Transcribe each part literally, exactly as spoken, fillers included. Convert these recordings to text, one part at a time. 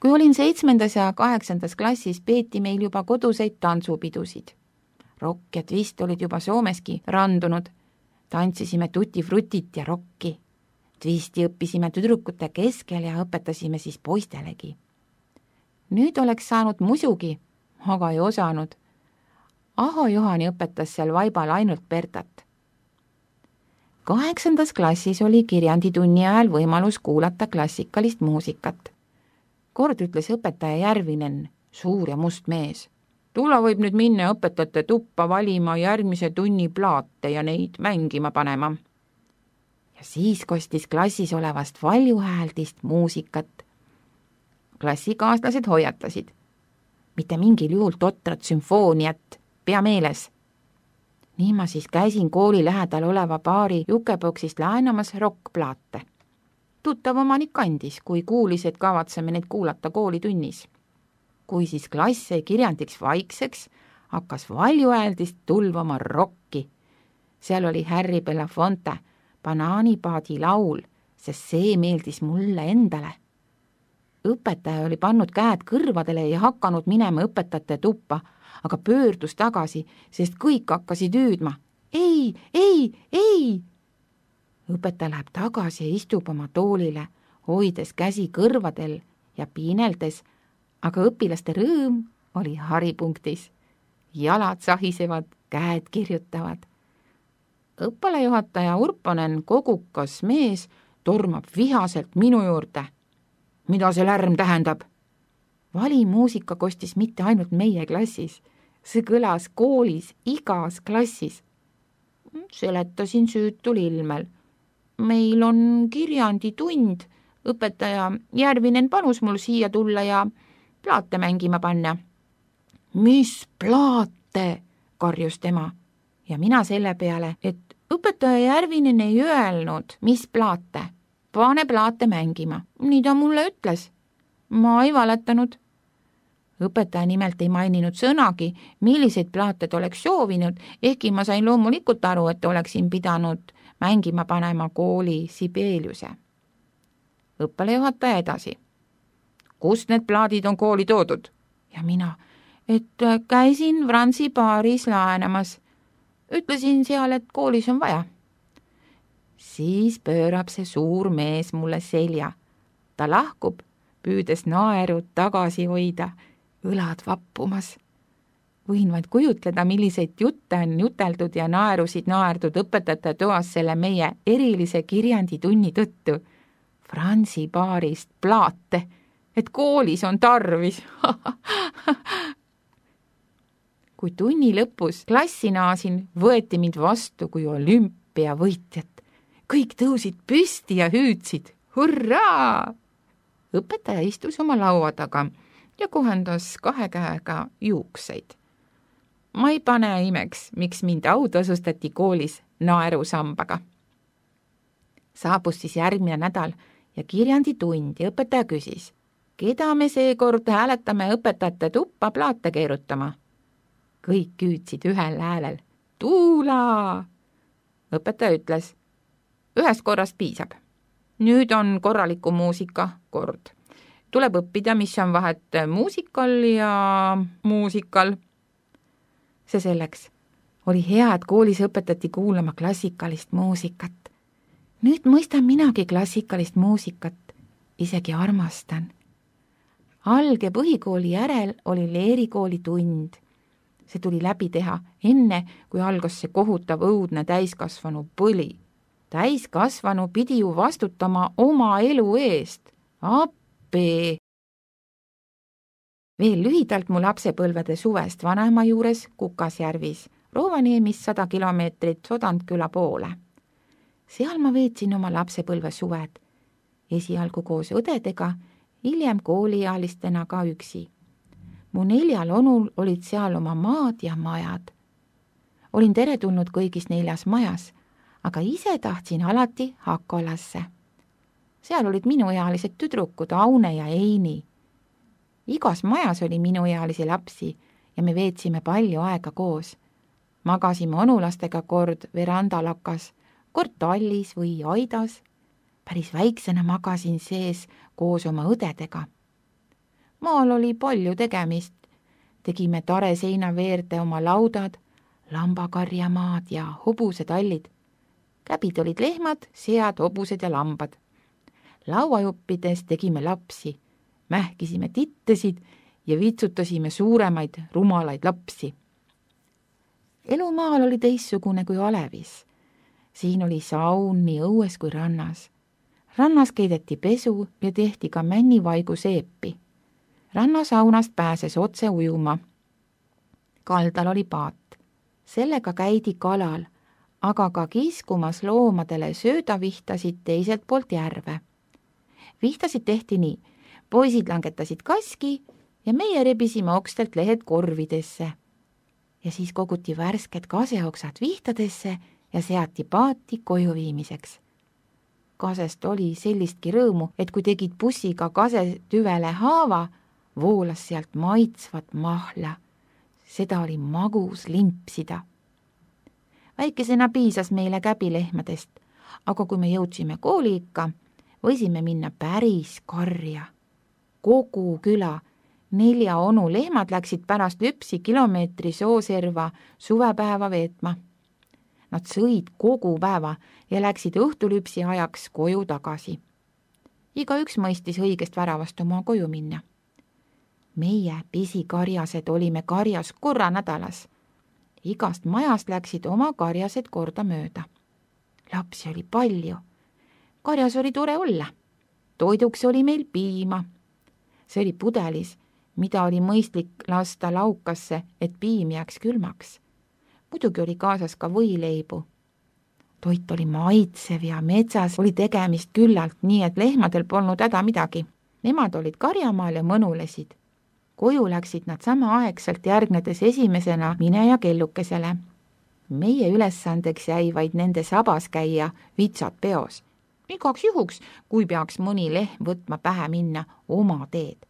Kui olin seitsmendas ja kaheksandas klassis, peeti meil juba koduseid tantsupidusid. Rock ja twist olid juba Soomeski randunud. Tantsisime tutti-frutit ja rocki. Twisti õppisime tüdrukute keskel ja õpetasime siis poistelegi. Nüüd oleks saanud musugi, aga ei osanud. Aho Johani õpetas seal vaibal ainult Bertat. Kaheksandas klassis oli kirjanditunni ajal võimalus kuulata klassikalist muusikat. Kord ütles õpetaja Järvinen, suur ja must mees. Tulla võib nüüd minna õpetajate tuppa valima järgmise tunni plaate ja neid mängima panema. Ja siis kostis klassis olevast valjuhääldist muusikat. Klassikaaslased hoiatasid. Mitte mingil juhul totrat sümfooniat, pea meeles. Nii ma siis käisin kooli lähedal oleva baari jukeboksist laenamas rokkplaate. Tuttav omanik andis, kui kuulis, et kavatseme neid kuulata koolitunnis. Kui siis klass jäi kirjandiks vaikseks, hakkas valjuhääldist tulvama rokki. Seal oli Harry Belafonte, Banaanipaadi laul, sest see meeldis mulle endale. Õpetaja oli pannud käed kõrvadele ja hakanud minema õpetajate tuppa, aga pöördus tagasi, sest kõik hakkasid hüüdma. Ei, ei, ei! Õpetaja läheb tagasi ja istub oma toolile, hoides käsi kõrvadel ja piineldes, aga õpilaste rõõm oli haripunktis. Jalad sahisevad, käed kirjutavad. Õppealajuhataja Urponen, kogukas mees, tormab vihaselt minu juurde. Mida see lärm tähendab? Valimuusika kostis mitte ainult meie klassis, see kõlas koolis igas klassis. Seletasin süütul ilmel. Meil on kirjanditund, õpetaja Järvinen panus mul siia tulla ja plaate mängima panna. Mis plaate, karjus tema. Ja mina selle peale, et õpetaja Järvinen ei öelnud, mis plaate. Pane plaate mängima. Nii ta mulle ütles. Ma ei valetanud. Õpetaja nimelt ei maininud sõnagi, milliseid plaate ta oleks soovinud, ehkki ma sain loomulikult aru, et oleksin pidanud mängima panema kooli Sibeliuse. Õppealajuhataja edasi. Kust need plaadid on kooli toodud? Ja mina, et käisin Franzi baaris laenamas. Ütlesin seal, et koolis on vaja. Siis pöörab see suur mees mulle selja. Ta lahkub, püüdes naeru tagasi hoida, õlad vappumas. Võin vaid kujutleda, milliseid jutte on juteldud ja naerusid naerdud õpetajate toas selle meie erilise kirjanditunni tõttu. Franzi baarist plaate, et koolis on tarvis. Kui tunni lõpus klassi naasin, võeti mind vastu kui olümpiavõitjat. Kõik tõusid püsti ja hüüdsid. Hurraa! Õpetaja istus oma laua taga ja kohendas kahe käega juukseid. Ma ei pane imeks, miks mind autasustati koolis naerusambaga. Saabus siis järgmine nädal ja kirjanditund ja õpetaja küsis, keda me seekord hääletame õpetajate tuppa plaate keerutama. Kõik hüüdsid ühel häälel. Tuula! Õpetaja ütles, ühest korrast piisab. Nüüd on korraliku muusika kord. Tuleb õppida, mis on vahet muusikal ja muusikal. See selleks. Oli hea, et koolis õpetati kuulama klassikalist muusikat. Nüüd mõistan minagi klassikalist muusikat. Isegi armastan. Alg- ja põhikooli järel oli leerikooli tund. See tuli läbi teha enne, kui algas see kohutav õudne täiskasvanu põli. Täiskasvanu pidi ju vastutama oma elu eest. Appi! Veel lühidalt mu lapsepõlvede suvest vanaema juures Kukasjärvis, Rovaniemis sada kilomeetrit Sodantküla poole. Seal ma veetsin oma lapsepõlve suved, esialgu koos õdedega, hiljem kooliealistena ka üksi. Mu neljal onul olid seal oma maad ja majad. Olin teretulnud kõigis neljas majas, aga ise tahtsin alati Hakolasse. Seal olid minuealised tüdrukud Aune ja Eini. Igas majas oli minuealisi lapsi ja me veetsime palju aega koos. Magasime onulastega kord verandalakas, kord tallis või aidas. Päris väiksena magasin sees koos oma õdedega. Maal oli palju tegemist. Tegime tare seina veerde oma laudad, lambakarjamaad ja hobusetallid. Käbid olid lehmad, sead, hobused ja lambad. Lauajuppides tegime lapsi, mähkisime tittesid ja vitsutasime suuremaid rumalaid lapsi. Elu maal oli teistsugune kui Alevis. Siin oli saun nii õues kui rannas. Rannas keideti pesu ja tehti ka männivaigu seepi. Rannasaunast pääses otse ujuma. Kaldal oli paat. Sellega käidi kalal, aga ka kiskumas loomadele söödavihtasid teiselt poolt järve. Vihtasid tehti nii. Poisid langetasid kaski ja meie rebisime okstelt lehed korvidesse. Ja siis koguti värsked kaseoksad vihtadesse ja seati paati koju viimiseks. Kasest oli sellistki rõõmu, et kui tegid bussiga kase tüvele haava, voolas sealt maitsvat mahla. Seda oli magus limpsida. Väikesena piisas meile käbilehmadest, aga kui me jõudsime kooli ikka, võisime minna päris karja. Kogu küla, nelja onu lehmad läksid pärast lüpsi kilomeetri sooserva suvepäeva veetma. Nad sõid kogu päeva ja läksid õhtulüpsi ajaks koju tagasi. Igaüks mõistis õigest väravast oma koju minna. Meie pisikarjased olime karjas korra nädalas. Igast majast läksid oma karjased korda mööda. Lapsi oli palju. Karjas oli tore olla. Toiduks oli meil piima. See oli pudelis, mida oli mõistlik lasta laukasse, et piim jääks külmaks. Muidugi oli kaasas ka võileibu. Toit oli maitsev ja metsas oli tegemist küllalt, nii et lehmadel polnud häda midagi. Nemad olid karjamaal ja mõnulesid. Koju läksid nad samaaegselt järgnedes esimesena mine ja kellukesele. Meie ülesandeks jäi vaid nende sabas käia vitsad peos. Igaks juhuks, kui peaks mõni lehm võtma pähe minna oma teed.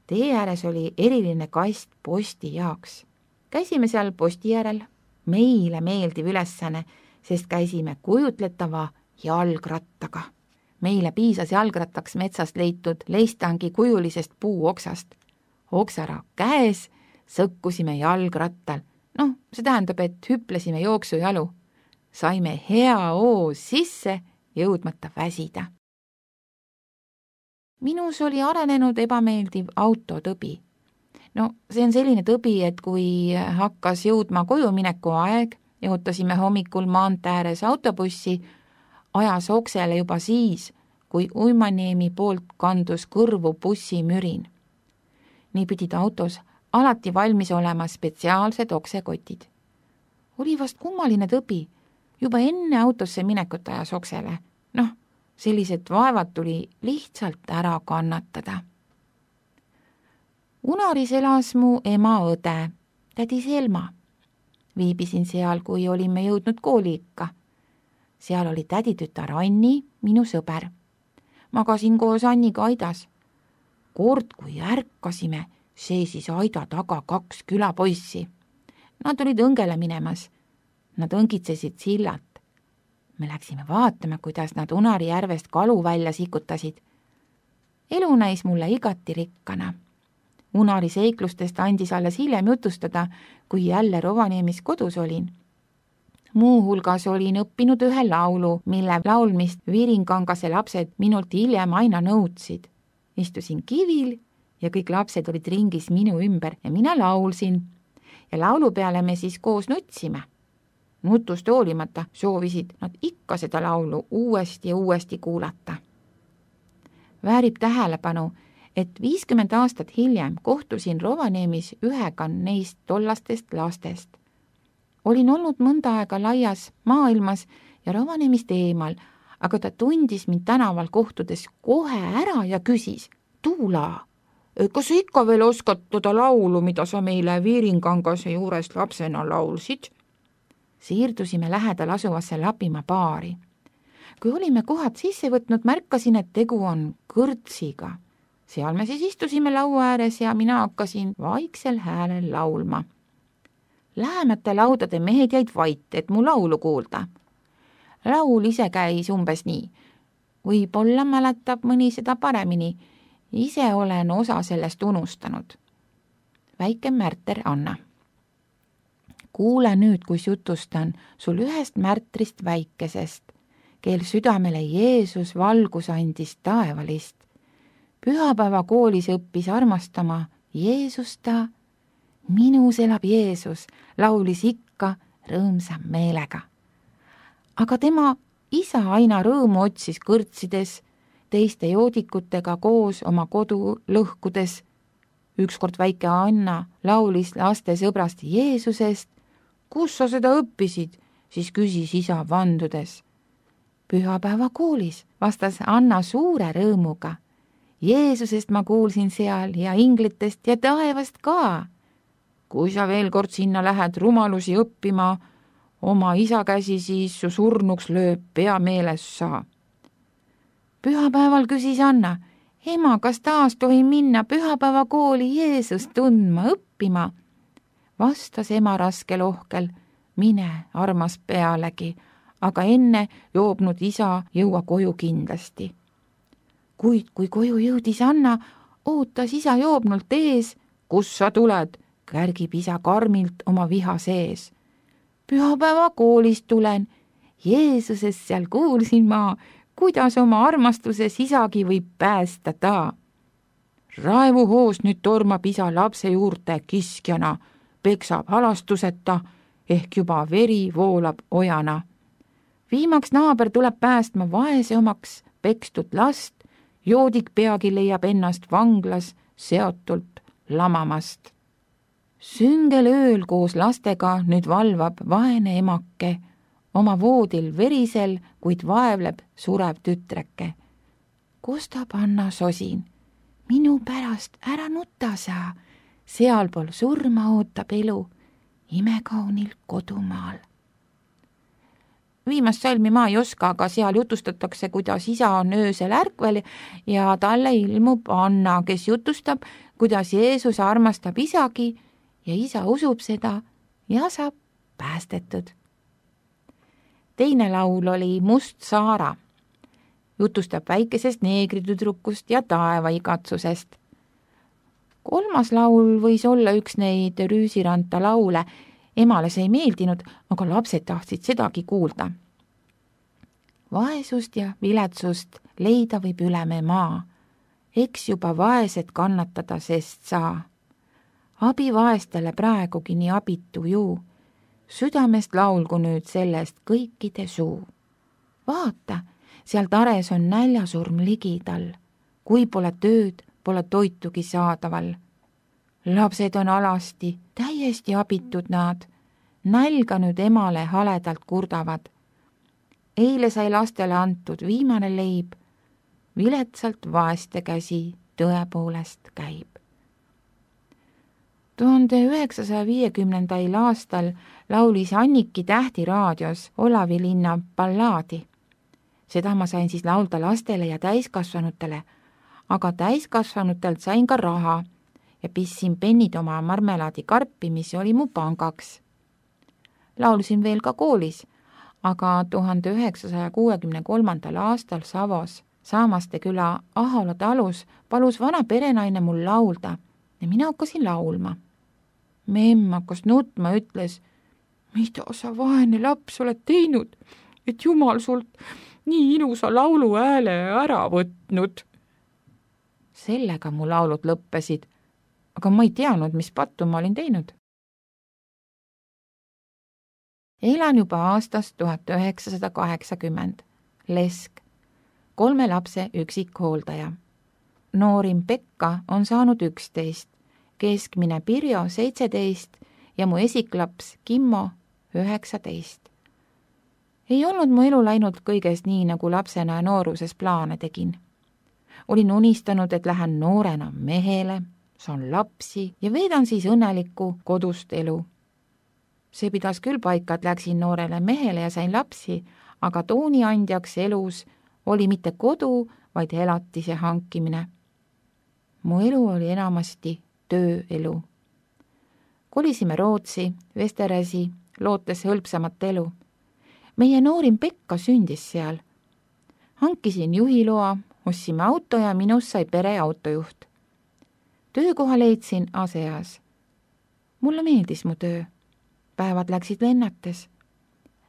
Tee ääres oli eriline kast posti jaoks. Käisime seal posti järel. Meile meeldiv ülesanne, sest käisime kujutletava jalgrattaga. Meile piisas jalgrattaks metsast leitud leistangi kujulisest puuoksast. Oksara käes sõkkusime jalgrattal. Noh, see tähendab, et hüplesime jooksujalu. Saime hea oo sisse, jõudmata väsida. Minus oli arenenud ebameeldiv autotõbi. No, see on selline tõbi, et kui hakkas jõudma koju mineku aeg ja ootasime hommikul maantee ääres autobussi, ajas oksele juba siis, kui Uimanieemi poolt kandus kõrvu bussimürin. Nii pidid autos alati valmis olema spetsiaalsed oksekotid. Oli vast kummaline tõbi, juba enne autosse minekut ajas oksele. Noh, sellised vaevad tuli lihtsalt ära kannatada. Unaris elas mu ema õde, tädi Selma. Viibisin seal, kui olime jõudnud kooli ikka. Seal oli täditütar Anni, minu sõber. Magasin koos Anniga aidas. Kord, kui ärkasime, seisis aida taga kaks külapoissi. Nad olid õngele minemas. Nad õngitsesid sillalt. Me läksime vaatama, kuidas nad Unari järvest kalu välja sikutasid. Elu näis mulle igati rikkana. Unari seiklustest andis alles hiljem jutustada, kui jälle Rovaniemis kodus olin. Muu hulgas olin õppinud ühe laulu, mille laulmist Viiringangase lapsed minult hiljem aina nõudsid. Istusin kivil ja kõik lapsed olid ringis minu ümber ja mina laulsin. Ja laulu peale me siis koos nutsime. Nutust hoolimata soovisid nad ikka seda laulu uuesti ja uuesti kuulata. Väärib tähelepanu, et viiskümmend aastat hiljem kohtusin Rovaniemis ühega neist tollastest lastest. Olin olnud mõnda aega laias maailmas ja Rovaniemisst eemal, aga ta tundis mind tänaval kohtudes kohe ära ja küsis, Tuula, kas sa ikka veel oskad toda laulu, mida sa meile Viiringangase juurest lapsena laulsid? Siirdusime lähedal asuvasse Lapimaa baari. Kui olime kohad sisse võtnud, märkasin, et tegu on kõrtsiga. Seal me siis istusime laua ääres ja mina hakkasin vaiksel häälel laulma. Lähemate laudade mehed jäid vait, et mu laulu kuulda. Laul ise käis umbes nii. Võib-olla mäletab mõni seda paremini ise olen osa sellest unustanud. Väike märter Anna. Kuule nüüd, kus jutustan sul ühest märtrist väikesest, kel südamele Jeesus valgus andis taevalist. Pühapäeva koolis õppis armastama Jeesust ta. Minus elab Jeesus, laulis ikka rõõmsa meelega. Aga tema isa aina rõõmu otsis kõrtsides, teiste joodikutega koos oma kodu lõhkudes. Ükskord väike Anna laulis laste sõbrast Jeesusest. Kus sa seda õppisid, siis küsis isa vandudes. Pühapäeva koolis, vastas Anna suure rõõmuga. Jeesusest ma kuulsin seal ja inglitest ja taevast ka. Kui sa veel kord sinna lähed rumalusi õppima, oma isa käsi siis su surnuks lööb, pea meeles saa. Pühapäeval küsis Anna, ema, kas taas tohin minna pühapäeva kooli Jeesust tundma õppima? Vastas ema raskel ohkel, mine armas pealegi, aga enne joobnud isa jõua koju kindlasti. Kuid kui koju jõudis Anna, ootas isa joobnult ees. Kus sa tuled? Kärgib isa karmilt oma viha sees. Pühapäeva koolist tulen. Jeesusest seal kuulsin ma, kuidas oma armastuses isagi võib päästa ta. Raevuhoos nüüd tormab isa lapse juurde kiskjana, peksab halastuseta, ehk juba veri voolab ojana. Viimaks naaber tuleb päästma vaese omaks pekstud last, joodik peagi leiab ennast vanglas seotult lamamast. Süngel ööl koos lastega nüüd valvab vaene emake, oma voodil verisel, kuid vaevleb surev tütreke. Kostab Anna sosin, minu pärast ära nuta sa, sealpool surma ootab elu, imekaunil kodumaal. Viimast salmi ma ei oska, aga seal jutustatakse, kuidas isa on öösel ärkvel ja talle ilmub Anna, kes jutustab, kuidas Jeesus armastab isagi ja isa usub seda ja saab päästetud. Teine laul oli Must Saara. Jutustab väikesest neegritüdrukust ja taeva igatsusest. Kolmas laul võis olla üks neid Rüüsiranta laule. Emale see ei meeldinud, aga lapsed tahtsid sedagi kuulda. Vaesust ja viletsust leida võib üleme maa. Eks juba vaesed kannatada sest saa. Abi vaestele praegugi nii abitu juu. Südamest laulgu nüüd sellest kõikide suu. Vaata, seal tares on näljasurm ligidal. Kui pole tööd, pole toitugi saadaval. Lapsed on alasti, täiesti abitud nad. Nälga nüüd emale haledalt kurdavad. Eile sai lastele antud viimane leib. Viletsalt vaeste käsi tõepoolest käib. tuhande üheksasaja viiekümnendail aastal laulis Anniki Tähti raadios Olavi linna ballaadi. Seda ma sain siis laulda lastele ja täiskasvanutele, aga täiskasvanutelt sain ka raha ja pissin pennid oma marmelaadikarpi, mis oli mu pangaks. Laulsin veel ka koolis, aga tuhande üheksasaja kuuekümne kolmandal aastal Savos Saamaste küla Ahola talus palus vana perenaine mul laulda ja mina hakkasin laulma. Memm hakkas nutma, ütles, mida sa vaene laps oled teinud, et Jumal sult nii ilusa laulu hääle ära võtnud. Sellega mu laulud lõppesid, aga ma ei teadnud, mis pattu ma olin teinud. Elan juba aastast tuhat üheksasada kaheksakümmend. Lesk, kolme lapse üksikhooldaja. Noorim Pekka on saanud üksteist, keskmine Pirjo seitseteist ja mu esiklaps Kimmo üheksateist. Ei olnud mu elu läinud kõigest nii, nagu lapsena ja nooruses plaane tegin. Olin unistanud, et lähen noorena mehele, saan lapsi ja veedan siis õnnelikku kodust elu. See pidas küll paika, et läksin noorele mehele ja sain lapsi, aga tooniandjaks elus oli mitte kodu, vaid elatise hankimine. Mu elu oli enamasti tööelu. Kolisime Rootsi, Vesterasi, lootes hõlpsamat elu. Meie noorim Pekka sündis seal. Hankisin juhiloa, Ostsime auto ja minust sai pere autojuht. Töökoha leidsin ASEAs. Mulle meeldis mu töö. Päevad läksid lennates.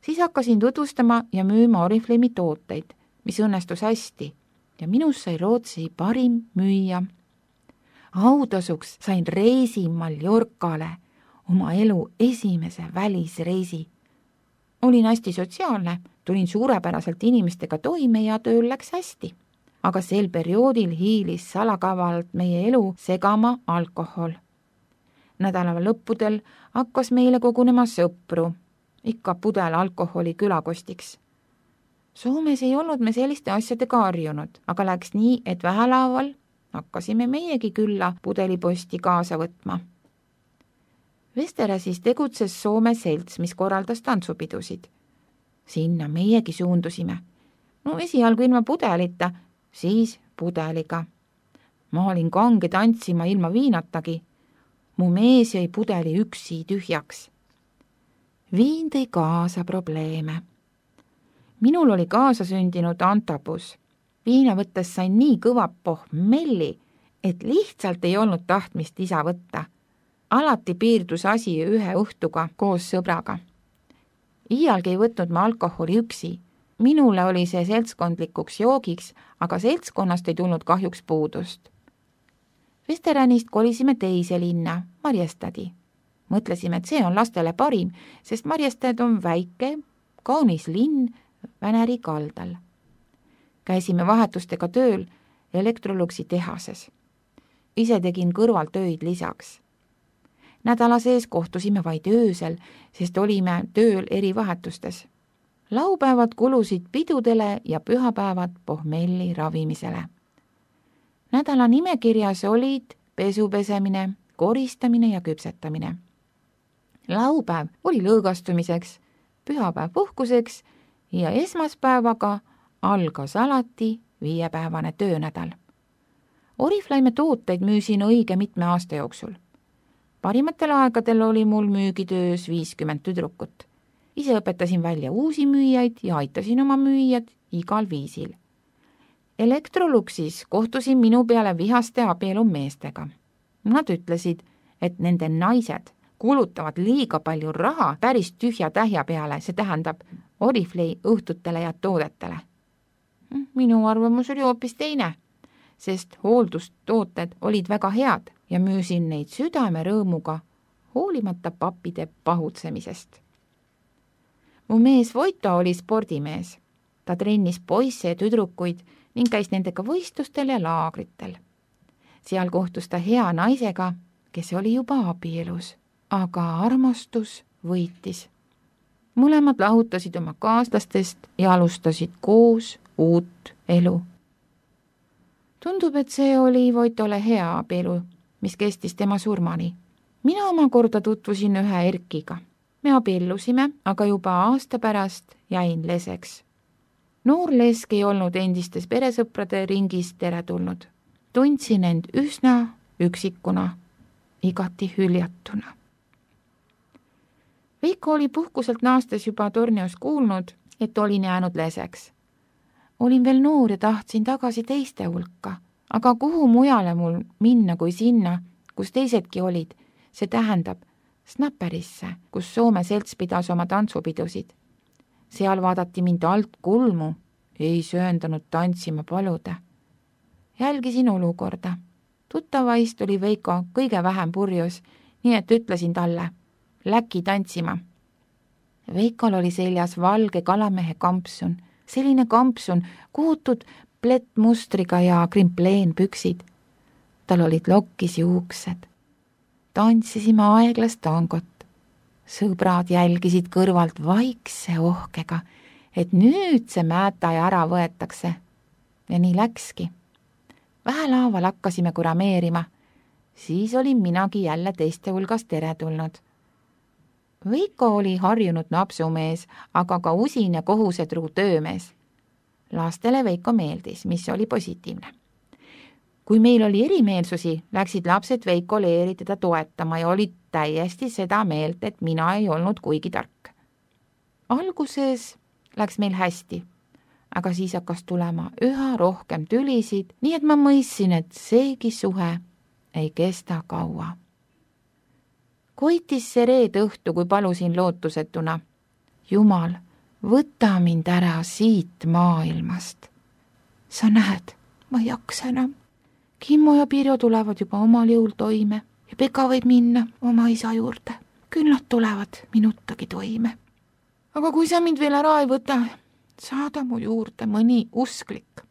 Siis hakkasin tutvustama ja müüma Oriflame'i tooteid, mis õnnestus hästi ja minust sai Rootsi parim müüja. Autasuks sain reisi Mallorcale, oma elu esimese välisreisi. Olin hästi sotsiaalne, tulin suurepäraselt inimestega toime ja tööl läks hästi. Aga sel perioodil hiilis salakavalt meie elu segama alkohol. Nädala lõppudel hakkas meile kogunema sõpru, ikka pudel alkoholi külakostiks. Soomes ei olnud me selliste asjadega harjunud, aga läks nii, et vähelaaval hakkasime meiegi külla pudeliposti kaasa võtma. Vesteräsis tegutses Soome selts, mis korraldas tantsupidusid. Sinna meiegi suundusime. No esialgu ilma pudelita, siis pudeliga. Ma olin kange tantsima ilma viinatagi. Mu mees jäi pudeli üksi tühjaks. Viin tõi kaasa probleeme. Minul oli kaasa sündinud antabus. Viina võttes sain nii kõva pohmelli, et lihtsalt ei olnud tahtmist isa võtta. Alati piirdus asi ühe õhtuga koos sõbraga. Iialgi ei võtnud ma alkoholi üksi. Minule oli see seltskondlikuks joogiks, aga seltskonnast ei tulnud kahjuks puudust. Vesteränist kolisime teise linna, Marjestadi. Mõtlesime, et see on lastele parim, sest Marjestad on väike, kaunis linn Väneri kaldal. Käisime vahetustega tööl Electroluxi tehases. Ise tegin kõrvaltöid lisaks. Nädala sees kohtusime vaid öösel, sest olime tööl eri vahetustes. Laupäevad kulusid pidudele ja pühapäevad pohmelli ravimisele. Nädala nimekirjas olid pesupesemine, koristamine ja küpsetamine. Laupäev oli lõõgastumiseks, pühapäev puhkuseks ja esmaspäevaga algas alati viiepäevane töönädal. Oriflame tooteid müüsin õige mitme aasta jooksul. Parimatel aegadel oli mul müügitöös viiskümmend tüdrukut. Ise õpetasin välja uusi müüjaid ja aitasin oma müüjad igal viisil. Electroluxis kohtusin minu peale vihaste abielumeestega. Nad ütlesid, et nende naised kulutavad liiga palju raha päris tühja tähja peale, see tähendab Oriflame õhtutele ja toodetele. Minu arvamus oli hoopis teine, sest hooldustooted olid väga head ja müüsin neid südame rõõmuga, hoolimata pappide pahutsemisest. Mu mees Voito oli spordimees. Ta trennis poisse ja tüdrukuid ning käis nendega võistlustel ja laagritel. Seal kohtus ta hea naisega, kes oli juba abielus, aga armastus võitis. Mõlemad lahutasid oma kaaslastest ja alustasid koos uut elu. Tundub, et see oli Voitole hea abielu, mis kestis tema surmani. Mina omakorda tutvusin ühe Erkiga. Me abiellusime, aga juba aasta pärast jäin leseks. Noor lesk ei olnud endistes peresõprade ringis teretulnud. Tundsin end üsna üksikuna, igati hüljatuna. Veiko oli puhkuselt naastes juba Tornios kuulnud, et olin jäänud leseks. Olin veel noor ja tahtsin tagasi teiste hulka, aga kuhu mujale mul minna kui sinna, kus teisedki olid, see tähendab Snapperisse, kus Soome selts pidas oma tantsupidusid. Seal vaadati mind alt kulmu, ei sööndanud tantsima paluda. Jälgisin olukorda. Tuttavaist oli Veiko kõige vähem purjus, nii et ütlesin talle, läki tantsima. Veikol oli seljas valge kalamehe kampsun, selline kampsun, kuhutud plettmustriga ja krimpleenpüksid. Tal olid lokkis juuksed. Tantsisime aeglast tangot. Sõbrad jälgisid kõrvalt vaikse ohkega, et nüüd see määtaja ära võetakse. Ja nii läkski. Vähelaaval hakkasime kurameerima. Siis olin minagi jälle teiste hulgas teretulnud. Veiko oli harjunud napsumees, aga ka usin ja kohusetruu töömees. Lastele Veiko meeldis, mis oli positiivne. Kui meil oli erimeelsusi, läksid lapsed Veikole eeri teda toetama ja olid täiesti seda meelt, et mina ei olnud kuigi tark. Alguses läks meil hästi, aga siis hakkas tulema üha rohkem tülisid, nii et ma mõistsin, et seegi suhe ei kesta kaua. Koitis see reed õhtu, kui palusin lootusetuna. Jumal, võta mind ära siit maailmast. Sa näed, ma ei jaksa enam. Kimmo ja Pirjo tulevad juba omal jõul toime ja Peka võib minna oma isa juurde. Küll nad tulevad minutagi toime. Aga kui sa mind veel ära ei võta, saada mu juurde mõni usklik.